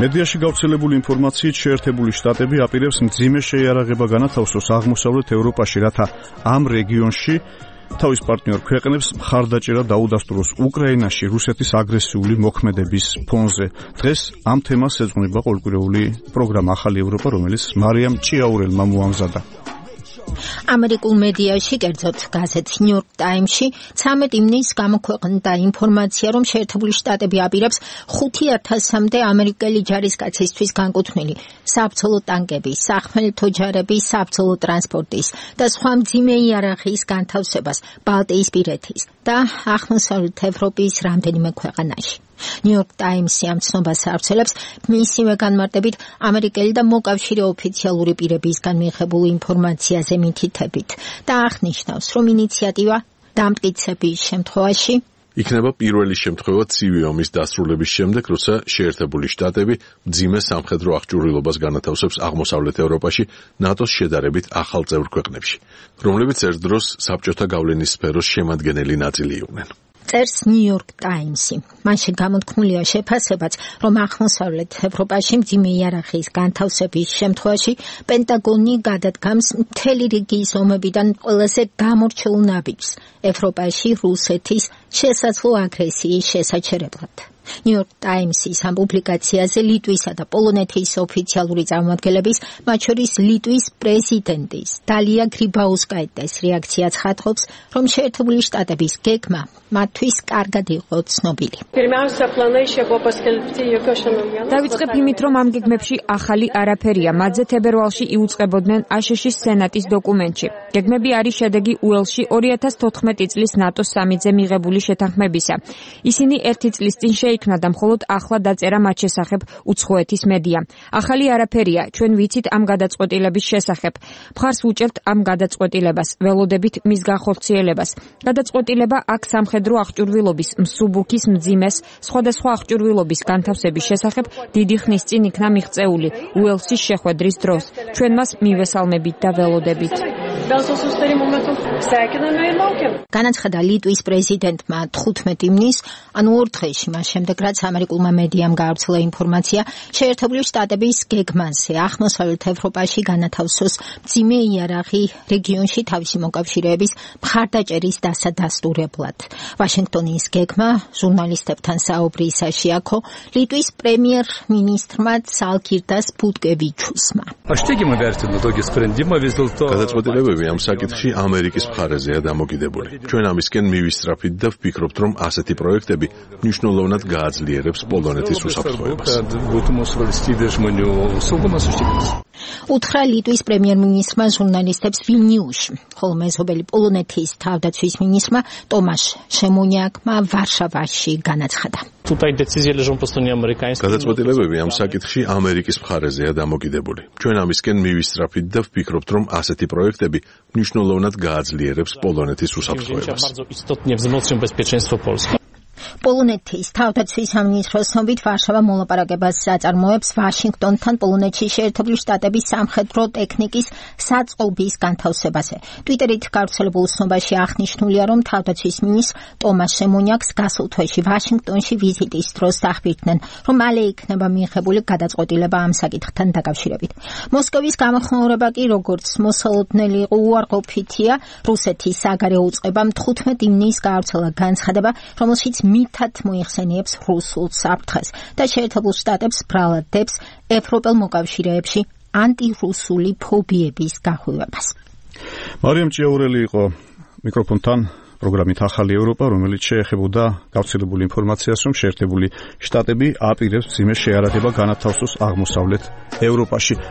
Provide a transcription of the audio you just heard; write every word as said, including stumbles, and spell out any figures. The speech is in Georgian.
მედიაში გავრცელებული ინფორმაციით შეერთებული შტატები აპირებს მძიმე შეიარაღება განათავსოს აღმოსავლეთ ევროპაში, რათა ამ რეგიონში თავის პარტნიორ ქვეყნებს მხარდაჭერა დაუდასტუროს უკრაინაში რუსეთის აგრესიული მოქმედების ფონზე. დღეს ამ თემას ეძღვნება ყოველკვირეული პროგრამა ახალი ევროპა, რომელიც მარიამ ჭიაურელმა მოამზადა. ამერიკულ მედიაში, კერძოდ გაზეთ New York Times-ში, ცამეტ ივნისს გამოქვეყნდა ინფორმაცია, რომ შეერთებული შტატები აპირებს ხუთი ათასამდე ამერიკელი ჯარისკაცისთვის განკუთვნილი საბრძოლო ტანკების, სახმელეთო ჯარების, საბრძოლო ტრანსპორტის და სხვა მძიმე იარაღის განთავსებას ბალტიისპირეთის და აღმოსავლეთ ევროპის რამდენიმე ქვეყანაში. New York Times-ი ამ ცნობას ავრცელებს მისივე განმარტებით ამერიკელი და მოკავშირე ოფიციალური პირებისგან მიღებულ ინფორმაციაზე მითითებით და აღნიშნავს, რომ ინიციატივა დამტკიცების შემთხვევაში იქნება პირველი შემთხვევა ცივი ომის დასრულების შემდეგ, როცა შეერთებული შტატები მძიმე სამხედრო აღჭურვილობას განათავსებს აღმოსავლეთ ევროპაში ნატოს შედარებით ახალ წევრ ქვეყნებში, რომლებიც ერთ დროს საბჭოთა გავლენის სფეროს შემადგენელი ნაწილი იყვნენ. წერს New York Times-ი. მაშ გამოთქმულია შეფასებაც, რომ აღმოსავლეთ ევროპაში მძიმე იარაღის განთავსების შემთხვევაში პენტაგონი გადადგამს მთელი რიგის ომებიდან ყველაზე გამორჩეულ ნაბიჯს ევროპაში რუსეთის შესაძლო აგრესიის შესაჩერებლად. New York Times-ის ამ პუბლიკაციაზე ლიტვისა და პოლონეთის ოფიციალური წარმომადგენლების, მათ შორის ლიტვის პრეზიდენტის დალია გრიბაუსკაიტეს რეაქცია ცხადყოფს, რომ შეერთებული შტატების გეგმა მათთვის კარგად იყო ცნობილი. დავიწყებ იმით, რომ ამ გეგმებში ახალი არაფერია. მათზე თებერვალში იუწყებოდნენ აშშ-ის სენატის დოკუმენტში. გეგმები არის შედეგი უელსში ორი ათას თოთხმეტი წლის ნატოს სამიტზე მიღებული შეთანხმებისა. ისინი ერთი წლის წინ შეიქმნა და მხოლოდ ახლა დაწერა მათ შესახებ უცხოეთის მედია. ახალი არაფერია, ჩვენ ვიცით ამ გადაწყვეტილების შესახებ. მხარს ვუჭერთ ამ გადაწყვეტილებას, ველოდებით მის განხორციელებას. გადაწყვეტილება აქ სამხედრო აღჭურვილობის, მსუბუქის მძიმეს, სხვადასხვა აღჭურვილობის განთავსების შესახებ დიდი ხნის წინ იქნა მიღწეული უელსის შეხვედრის დროს. ჩვენ მას მივესალმებით და ველოდებით. განაცხადა ლიტვის პრეზიდენტმა თხუთმეტი ივნისს, ანუ ორ დღეში მას შემდეგ, რაც ამერიკულმა მედიამ გაავრცელა ინფორმაცია შეერთებული შტატების გეგმაზე აღმოსავლეთ ევროპაში განათავსოს მძიმე იარაღი რეგიონში თავისი მოკავშირეების მხარდაჭერის დასადასტურებლად. ვაშინგტონის გეგმა ჟურნალისტებთან საუბრისაში აქო ლიტვის პრემიერ-მინისტრმა ცალკირდას ბუტკევიჩუსმა. გადაწყვეტილებები ამ საკითხში ამერიკის მხარეზეა დამოკიდებული. ჩვენ ამისკენ მივისწრაფით და ვფიქრობთ, რომ ასეთი პროექტები მნიშვნელოვნად გააძლიერებს პოლონეთის უსაფრთხოებას. უთხრა ლიტვის პრემიერ-მინისტრმა ჟურნალისტებს ვილნიუსში, ხოლო მეზობელი პოლონეთის თავდაცვის მინისტრმა ტომაშ შემონიაკმა ვარშავაში განაცხადა. გადაწყვეტილებები ამ საკითხში ამერიკის მხარეზეა დამოკიდებული. ჩვენ ამისკენ მივისწრაფით და ვფიქრობთ, რომ ასეთი პროექტები მნიშვნელოვნად გააძლიერებს პოლონეთის უსაფრთხოებას. პოლონეთის თავდაცვის სამინისტროს ცნობით ვარშავა მოლაპარაკებას აწარმოებს ვაშინგტონთან პოლონეთში შეერთებული შტატების სამხედრო ტექნიკის საწყობის განთავსებაზე. ტვიტერით გავრცელებულ ცნობაში აღნიშნულია, რომ თავდაცვის მინისტრ ტომაშ შემონიაკს გასულ თვეში ვაშინგტონში ვიზიტის დროს დახვირდნენ, რომ მალე იქნება მიღებული გადაწყვეტილება ამ საკითხთან დაკავშირებით. მოსკოვის გამოხმაურება კი, როგორც მოსალოდნელი იყო, უარყოფითია. რუსეთის საგარეო უწყებამ თხუთმეტი ივნისს გაავრცელა განცხადება, რომელშიც მითად მოიხსენიებს რუსულ საფრთხეს და შეერთებულ შტატებს ბრალად დებს ევროპელ მოკავშირეებში ანტირუსული ფობიების გახვევებას. მარიამ ჭიაურელი იყო მიკროფონთან პროგრამით ახალი ევროპა, რომელიც შეეხებოდა გავრცელებული ინფორმაციას, რომ შეერთებული შტატები აპირებს მძიმე შეიარაღება განათავსოს აღმოსავლეთ ევროპაში.